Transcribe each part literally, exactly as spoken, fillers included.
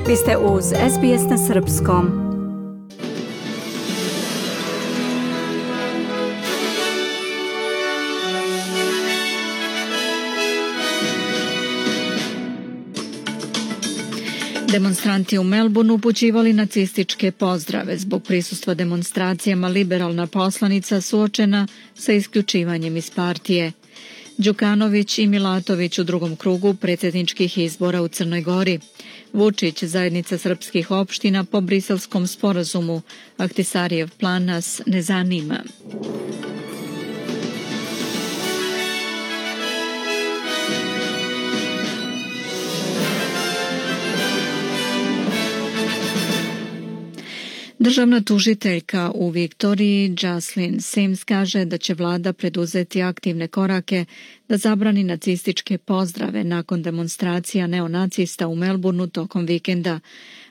Vi ste uz S B S na srpskom. Demonstranti u Melbourneu upućivali nacističke pozdrave. Zbog prisustva demonstracijama liberalna poslanica suočena sa isključivanjem iz partije. Đukanović i Milatović u drugom krugu predsjedničkih izbora u Crnoj Gori. Vučić, zajednica srpskih opština po briselskom sporazumu. Ahtisarijev plan nas ne zanima. Državna tužiteljka u Viktoriji Jocelyn Sims kaže da će vlada preduzeti aktivne korake da zabrani nacističke pozdrave nakon demonstracija neonacista u Melbourneu tokom vikenda.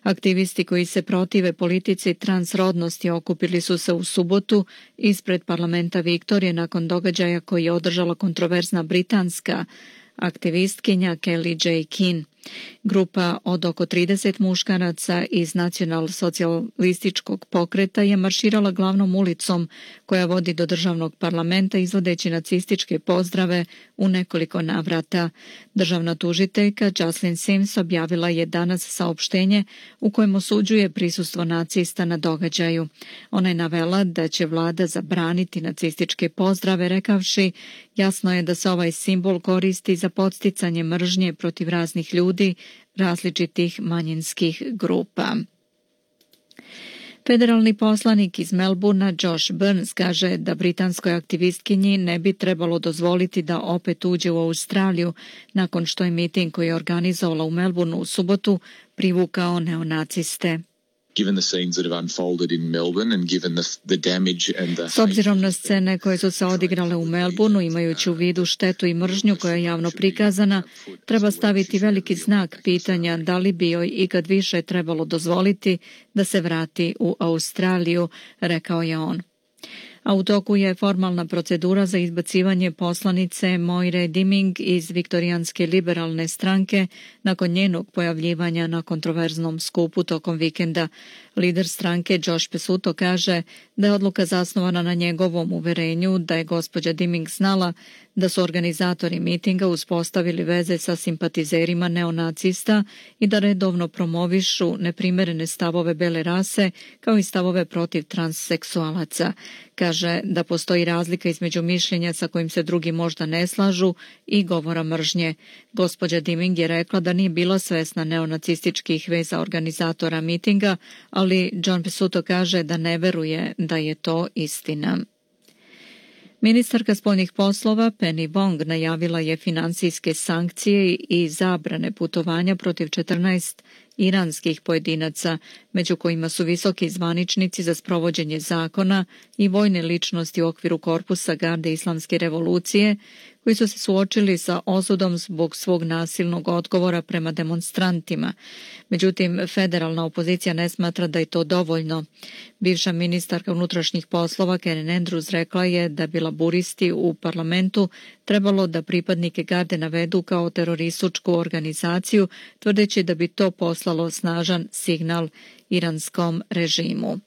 Aktivisti koji se protive politici transrodnosti okupili su se u subotu ispred parlamenta Viktorije nakon događaja koji je održala kontroverzna britanska aktivistkinja Kelly J. Keane. Grupa od oko trideset muškaraca iz nacional-socijalističkog pokreta je marširala glavnom ulicom koja vodi do državnog parlamenta izvodeći nacističke pozdrave u nekoliko navrata. Državna tužiteljka Jocelyn Sims objavila je danas saopštenje u kojem osuđuje prisustvo nacista na događaju. Ona je navela da će vlada zabraniti nacističke pozdrave, rekavši: jasno je da se ovaj simbol koristi za podsticanje mržnje protiv raznih ljudi različitih manjinskih grupa. Federalni poslanik iz Melbournea Josh Burns kaže da britanskoj aktivistkinji ne bi trebalo dozvoliti da opet uđe u Australiju nakon što je miting koji je organizovala u Melbourneu u subotu privukao neonaciste. S obzirom na scene koje su se odigrale u Melbourneu, imajući u vidu štetu i mržnju koja je javno prikazana, treba staviti veliki znak pitanja da li bi joj ikad više trebalo dozvoliti da se vrati u Australiju, rekao je on. A u toku je formalna procedura za izbacivanje poslanice Moire Diming iz Viktorijanske liberalne stranke nakon njenog pojavljivanja na kontroverznom skupu tokom vikenda. Lider stranke Josh Pesuto kaže da je odluka zasnovana na njegovom uverenju da je gospođa Diming znala da su organizatori mitinga uspostavili veze sa simpatizerima neonacista i da redovno promovišu neprimerene stavove bele rase kao i stavove protiv transseksualaca. Kaže da postoji razlika između mišljenja sa kojim se drugi možda ne slažu i govora mržnje. Gospođa Diming je rekla da nije bila svesna neonacističkih veza organizatora mitinga, ali John Pesuto kaže da ne veruje da je to istina. Ministarka spoljnih poslova Penny Wong najavila je finansijske sankcije i zabrane putovanja protiv četrnaest iranskih pojedinaca, među kojima su visoki zvaničnici za sprovođenje zakona i vojne ličnosti u okviru korpusa garde islamske revolucije, koji su se suočili sa osudom zbog svog nasilnog odgovora prema demonstrantima. Međutim, federalna opozicija ne smatra da je to dovoljno. Bivša ministarka unutrašnjih poslova Karen Andrews rekla je da bi laburisti u parlamentu trebalo da pripadnike garde navedu kao terorističku organizaciju, tvrdeći da bi to poslalo snažan signal iranskom režimu.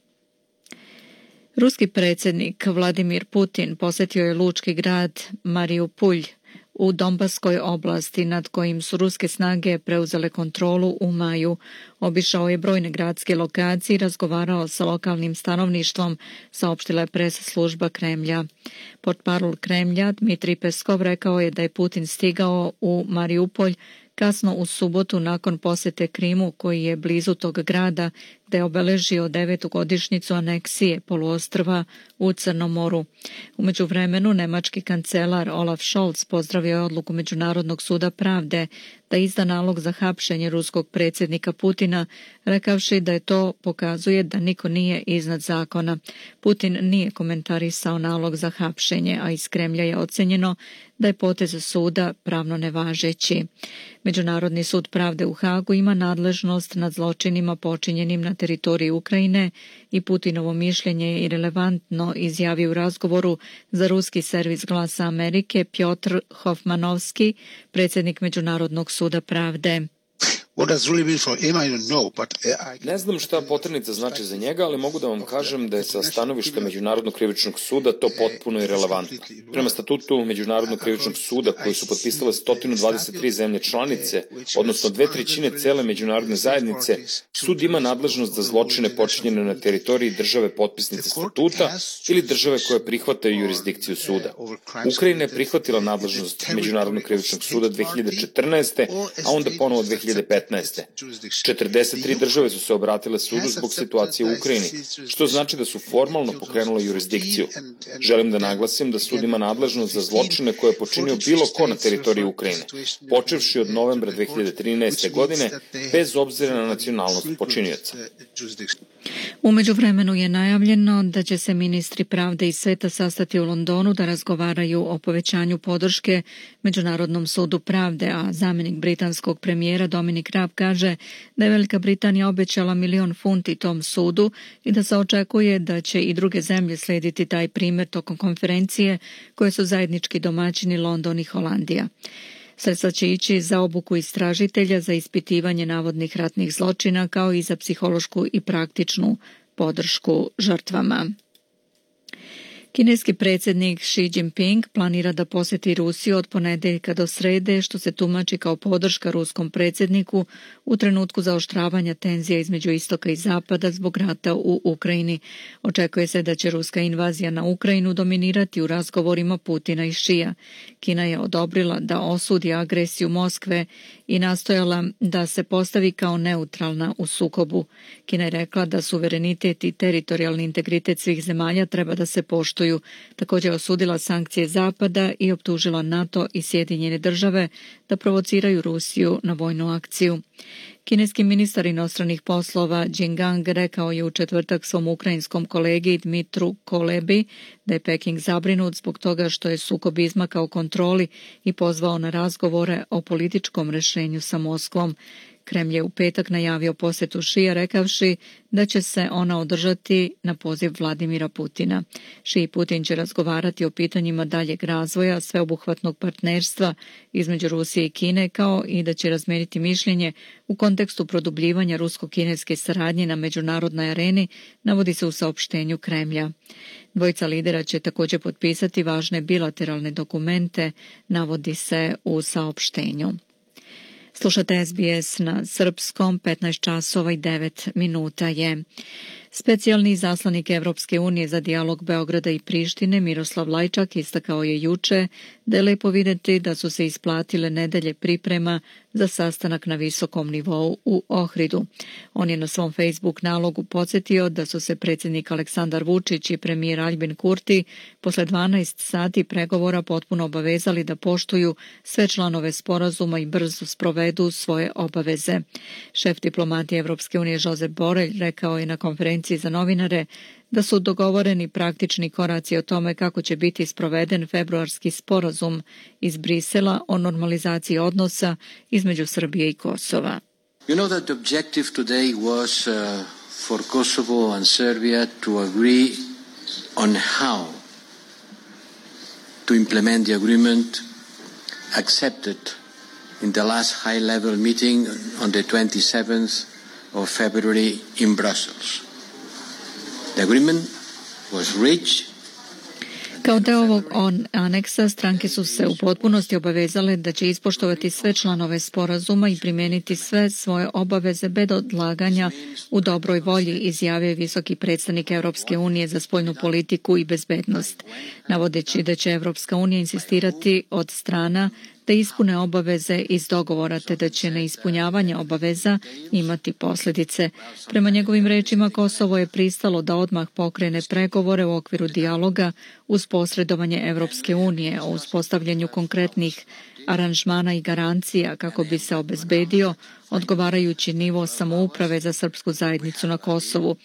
Ruski predsjednik Vladimir Putin posjetio je lučki grad Mariupolj u Donbaskoj oblasti nad kojim su ruske snage preuzele kontrolu u maju. Obišao je brojne gradske lokacije i razgovarao sa lokalnim stanovništvom, saopštila je press služba Kremlja. Portparol Kremlja Dmitrij Peskov rekao je da je Putin stigao u Mariupolj kasno u subotu nakon posjete Krimu koji je blizu tog grada gdje je obeležio devetu godišnjicu aneksije poluostrva u Crnom moru. U međuvremenu nemački kancelar Olaf Scholz pozdravio je odluku Međunarodnog suda pravde da izda nalog za hapšenje ruskog predsjednika Putina, rekavši da je to pokazuje da niko nije iznad zakona. Putin nije komentarisao nalog za hapšenje, a iz Kremlja je ocenjeno da je potez suda pravno nevažeći. Međunarodni sud pravde u Hagu ima nadležnost nad zločinima počinjenim na teritoriji Ukrajine i Putinovo mišljenje je irelevantno, izjavio u razgovoru za ruski servis Glasa Amerike Pjotr Hofmanovski, predsjednik Međunarodnog suda pravde. Ne znam šta poternica znači za njega, ali mogu da vam kažem da je sa stanovišta Međunarodnog krivičnog suda to potpuno irelevantno. Prema statutu Međunarodnog krivičnog suda koji su potpisale sto dvadeset tri zemlje članice, odnosno dve trećine cele međunarodne zajednice, sud ima nadležnost za zločine počinjene na teritoriji države potpisnice statuta ili države koje prihvataju jurisdikciju suda. Ukrajina je prihvatila nadležnost Međunarodnog krivičnog suda dve hiljade četrnaeste. a onda ponovo dve hiljade petnaeste. četrdeset tri države su se obratile sudu zbog situacije u Ukrajini, što znači da su formalno pokrenule jurisdikciju. Želim da naglasim da sud ima nadležnost za zločine koje je počinio bilo ko na teritoriji Ukrajine, počevši od novembra dve hiljade trinaeste. godine, bez obzira na nacionalnost počinioca. U međuvremenu je najavljeno da će se ministri pravde i sveta sastati u Londonu da razgovaraju o povećanju podrške Međunarodnom sudu pravde, a zamjenik britanskog premijera Dominic Raab kaže da je Velika Britanija obećala milion funti tom sudu i da se očekuje da će i druge zemlje slijediti taj primjer tokom konferencije koje su zajednički domaćini London i Holandija. Sredstva će ići za obuku istražitelja, za ispitivanje navodnih ratnih zločina, kao i za psihološku i praktičnu podršku žrtvama. Kineski predsjednik Xi Jinping planira da posjeti Rusiju od ponedeljka do srede, što se tumači kao podrška ruskom predsjedniku u trenutku zaoštravanja tenzija između istoka i zapada zbog rata u Ukrajini. Očekuje se da će ruska invazija na Ukrajinu dominirati u razgovorima Putina i Šija. Kina je odobrila da osudi agresiju Moskve i nastojala da se postavi kao neutralna u sukobu. Kina je rekla da suverenitet i teritorijalni integritet svih zemalja treba da se poštuju. Također osudila sankcije Zapada i optužila NATO i Sjedinjene države da provociraju Rusiju na vojnu akciju. Kineski ministar inostranih poslova Jin Gang rekao je u četvrtak svom ukrajinskom kolegi Dmitru Kolebi da je Peking zabrinut zbog toga što je sukob izmakao kontroli i pozvao na razgovore o političkom rješenju sa Moskvom. Kremlj je u petak najavio posjetu Šija rekavši da će se ona održati na poziv Vladimira Putina. Ši i Putin će razgovarati o pitanjima daljeg razvoja sveobuhvatnog partnerstva između Rusije i Kine, kao i da će razmeniti mišljenje u kontekstu produbljivanja rusko-kineske saradnje na međunarodnoj areni, navodi se u saopštenju Kremlja. Dvojica lidera će također potpisati važne bilateralne dokumente, navodi se u saopštenju. Slušate S B S na srpskom, petnaest časova i devet minuta je. Specijalni izaslanik Evropske unije za dijalog Beograda i Prištine Miroslav Lajčak istakao je juče da je lepo vidjeti da su se isplatile nedelje priprema za sastanak na visokom nivou u Ohridu. On je na svom Facebook nalogu podsjetio da su se predsjednik Aleksandar Vučić i premijer Aljbin Kurti posle dvanaest sati pregovora potpuno obavezali da poštuju sve članove sporazuma i brzo sprovedu svoje obaveze. Šef diplomatije Evropske unije Josep Borelj rekao je na konferenciji za novinare da su dogovoreni praktični koraci o tome kako će biti sproveden februarski sporazum iz Brisela o normalizaciji odnosa između Srbije i Kosova. You know that the objective today was uh, for Kosovo and Serbia to agree on how to implement the agreement accepted in the last high-level meeting on the twenty-seventh of February in Brussels. The agreement was reached. Kao deo ovog aneksa, stranke su se u potpunosti obavezale da će ispoštovati sve članove sporazuma i primijeniti sve svoje obaveze bez odlaganja u dobroj volji, izjavio je visoki predstavnik Evropske unije za spoljnu politiku i bezbednost, navodeći da će Evropska unija insistirati od strana da ispune obaveze iz dogovora, te da će neispunjavanje obaveza imati posljedice. Prema njegovim rečima, Kosovo je pristalo da odmah pokrene pregovore u okviru dijaloga uz posredovanje Evropske unije o uspostavljanju konkretnih aranžmana i garancija kako bi se obezbedio odgovarajući nivo samouprave za srpsku zajednicu na Kosovu.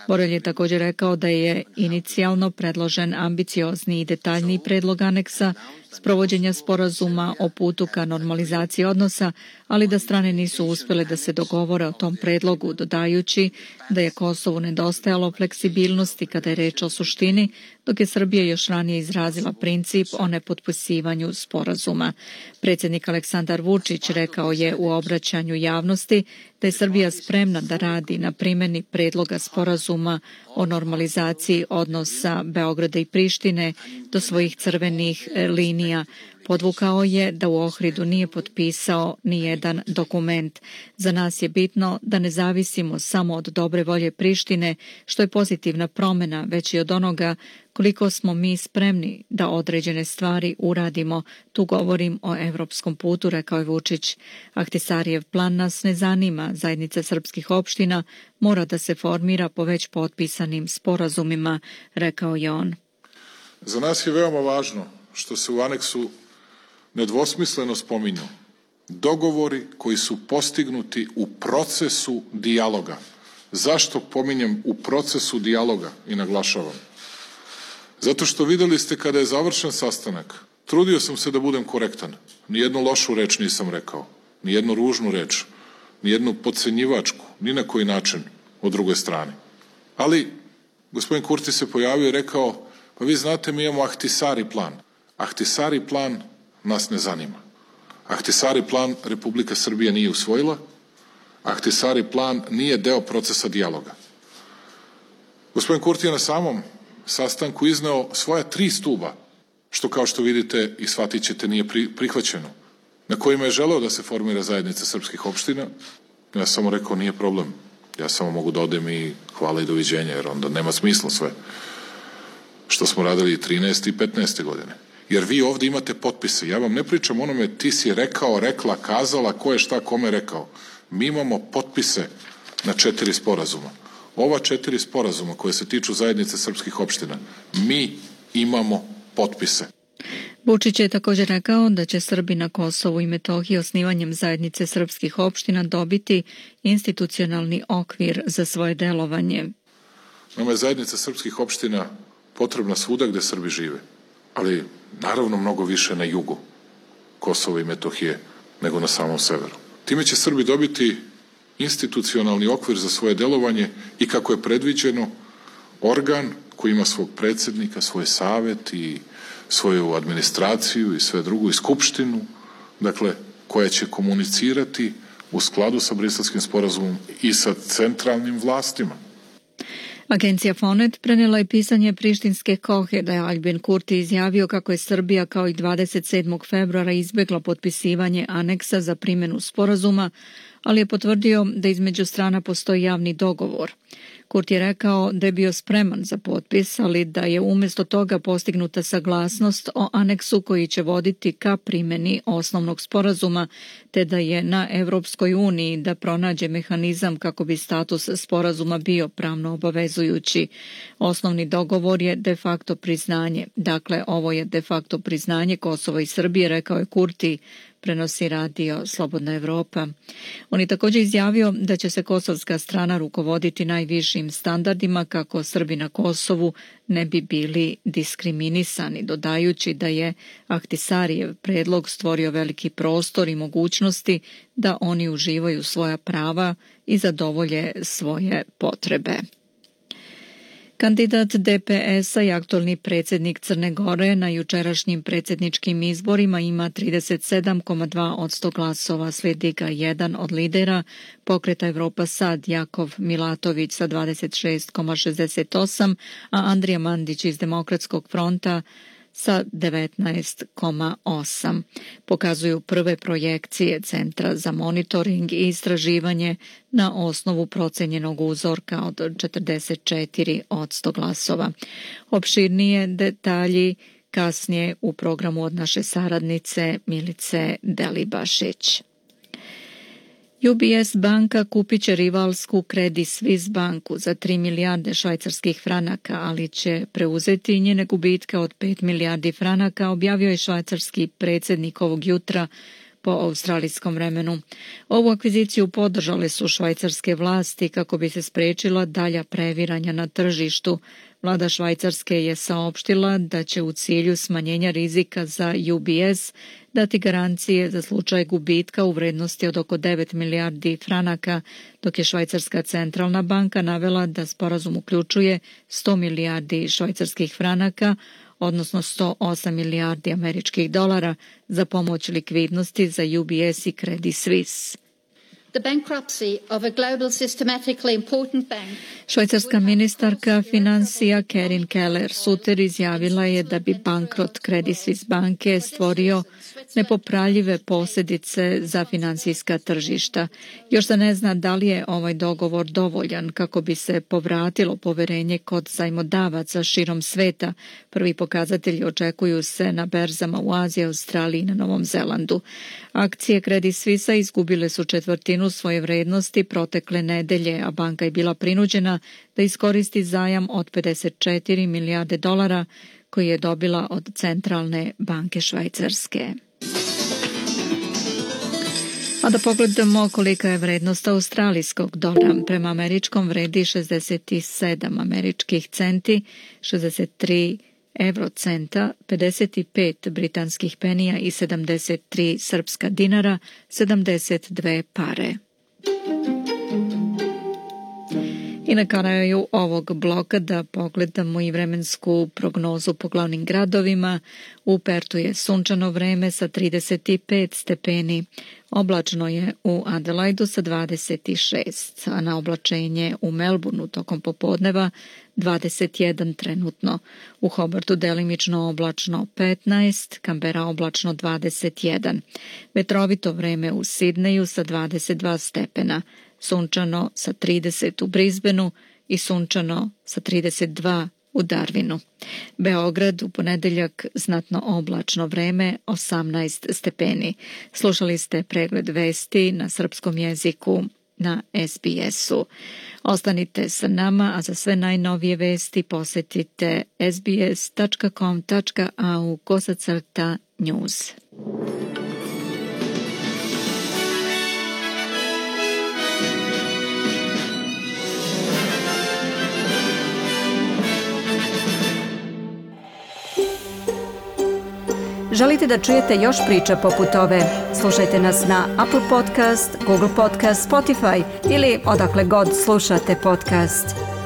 Borelj je također rekao da je inicijalno predložen ambiciozni i detaljniji predlog aneksa sprovođenja sporazuma o putu ka normalizaciji odnosa, ali da strane nisu uspjele da se dogovore o tom predlogu, dodajući da je Kosovu nedostajalo fleksibilnosti kada je reč o suštini, dok je Srbija još ranije izrazila princip o nepotpisivanju sporazuma. Predsjednik Aleksandar Vučić rekao je u obraćanju javnosti da je Srbija spremna da radi na primjeni predloga sporazuma o normalizaciji odnosa Beograda i Prištine do svojih crvenih linija. Podvukao je da u Ohridu nije potpisao ni jedan dokument. Za nas je bitno da ne zavisimo samo od dobre volje Prištine, što je pozitivna promjena, već i od onoga koliko smo mi spremni da određene stvari uradimo. Tu govorim o evropskom putu, rekao je Vučić. Ahtisarijev plan nas ne zanima. Zajednica srpskih opština mora da se formira po već potpisanim sporazumima, rekao je on. Za nas je veoma važno što se u aneksu nedvosmisleno spominju dogovori koji su postignuti u procesu dijaloga. Zašto pominjem u procesu dijaloga i naglašavam? Zato što videli ste kada je završen sastanak, trudio sam se da budem korektan. Nijednu lošu reč nisam rekao, nijednu ružnu reč, nijednu podcenjivačku, ni na koji način od druge strane. Ali gospodin Kurti se pojavio i rekao, pa vi znate, mi imamo Ahtisari plan. Ahtisari plan nas ne zanima. Ahtisari plan Republika Srbija nije usvojila, Ahtisari plan nije deo procesa dijaloga. Gospodin Kurti je na samom sastanku izneo svoja tri stuba, što kao što vidite i shvatit ćete nije prihvaćeno, na kojima je želeo da se formira zajednica srpskih opština. Ja samo rekao, nije problem. Ja samo mogu da odem i hvala i doviđenja, jer onda nema smisla sve što smo radili i trinaeste i petnaeste godine. Jer vi ovdje imate potpise. Ja vam ne pričam onome ti si rekao, rekla, kazala, ko je šta kome rekao. Mi imamo potpise na četiri sporazuma. Ova četiri sporazuma koje se tiču zajednice srpskih opština, mi imamo potpise. Vučić je također rekao da će Srbi na Kosovu i Metohiji osnivanjem zajednice srpskih opština dobiti institucionalni okvir za svoje delovanje. Nama je zajednica srpskih opština potrebna svuda gde Srbi žive, ali naravno mnogo više na jugu Kosova i Metohije nego na samom severu. Time će Srbi dobiti institucionalni okvir za svoje delovanje i, kako je predviđeno, organ koji ima svog predsjednika, svoj savet i svoju administraciju i sve drugo, i skupštinu, dakle, koja će komunicirati u skladu sa Briselskim sporazumom i sa centralnim vlastima. Agencija Fonet prenijela je pisanje prištinske Kohe da je Aljbin Kurti izjavio kako je Srbija kao i dvadeset sedmog februara izbjegla potpisivanje aneksa za primjenu sporazuma, ali je potvrdio da između strana postoji javni dogovor. Kurti je rekao da je bio spreman za potpis, ali da je umjesto toga postignuta saglasnost o aneksu koji će voditi ka primjeni osnovnog sporazuma, te da je na Evropskoj uniji da pronađe mehanizam kako bi status sporazuma bio pravno obavezujući. Osnovni dogovor je de facto priznanje. Dakle, ovo je de facto priznanje Kosova i Srbije, rekao je Kurti, prenosi radio Slobodna Evropa. On je također izjavio da će se kosovska strana rukovoditi najvišim standardima kako Srbi na Kosovu ne bi bili diskriminisani, dodajući da je Ahtisarijev predlog stvorio veliki prostor i mogućnosti da oni uživaju svoja prava i zadovolje svoje potrebe. Kandidat D P S-a i aktualni predsjednik Crne Gore na jučerašnjim predsjedničkim izborima ima trideset sedam zarez dva posto glasova, slijedi ga jedan od lidera Pokreta Evropa Sad, Jakov Milatović sa dvadeset šest zarez šezdeset osam, a Andrija Mandić iz Demokratskog fronta sa devetnaest zarez osam. Pokazuju prve projekcije Centra za monitoring i istraživanje na osnovu procenjenog uzorka od četrdeset četiri posto glasova. Opširnije detalji kasnije u programu od naše saradnice Milice Delibašić. U B S banka kupit će rivalsku Credit Suisse banku za tri milijarde švajcarskih franaka, ali će preuzeti njene gubitke od pet milijardi franaka, objavio je švajcarski predsjednik ovog jutra po australijskom vremenu. Ovu akviziciju podržale su švajcarske vlasti kako bi se spriječila dalja previranja na tržištu, Vlada Švajcarske je saopštila da će u cilju smanjenja rizika za U B S dati garancije za slučaj gubitka u vrednosti od oko devet milijardi franaka, dok je Švajcarska centralna banka navela da sporazum uključuje sto milijardi švajcarskih franaka, odnosno sto osam milijardi američkih dolara za pomoć likvidnosti za U B S i Credit Suisse. Švajcarska ministarka financija Karin Keller-Sutter izjavila je da bi bankrot Credit Suisse banke stvorio nepopravljive posljedice za finansijska tržišta. Još se ne zna da li je ovaj dogovor dovoljan kako bi se povratilo poverenje kod zajmodavaca širom sveta. Prvi pokazatelji očekuju se na berzama u Aziji, Australiji i na Novom Zelandu. Akcije Credit Suisse izgubile su četvrtinu svoje vrednosti protekle nedelje, a banka je bila prinuđena da iskoristi zajam od pedeset četiri milijarde dolara koji je dobila od Centralne banke Švajcarske. A da pogledamo kolika je vrednost australijskog dolara. Prema američkom vredi šezdeset sedam američkih centi, šezdeset tri eurocenta, pedeset pet britanskih penija i sedamdeset tri srpska dinara, sedamdeset dve pare. I na kraju ovog bloka da pogledamo i vremensku prognozu po glavnim gradovima. U Pertu je sunčano vreme sa trideset pet stepeni. Oblačno je u Adelaidu sa dvadeset šest, a na oblačenje u Melbourneu tokom popodneva dvadeset jedan trenutno. U Hobartu delimično oblačno petnaest, Kambera oblačno dvadeset jedan. Vetrovito vreme u Sidneju sa dvadeset dva stepena. Sunčano sa trideset u Brisbaneu i sunčano sa trideset dva u Darwinu. Beograd u ponedeljak znatno oblačno vreme, osamnaest stepeni. Slušali ste pregled vesti na srpskom jeziku na S B S-u. Ostanite sa nama, a za sve najnovije vesti posetite sbs tačka com tačka a u kosacrta news. Želite da čujete još priča poput ove? Slušajte nas na Apple Podcast, Google Podcast, Spotify ili odakle god slušate podcast.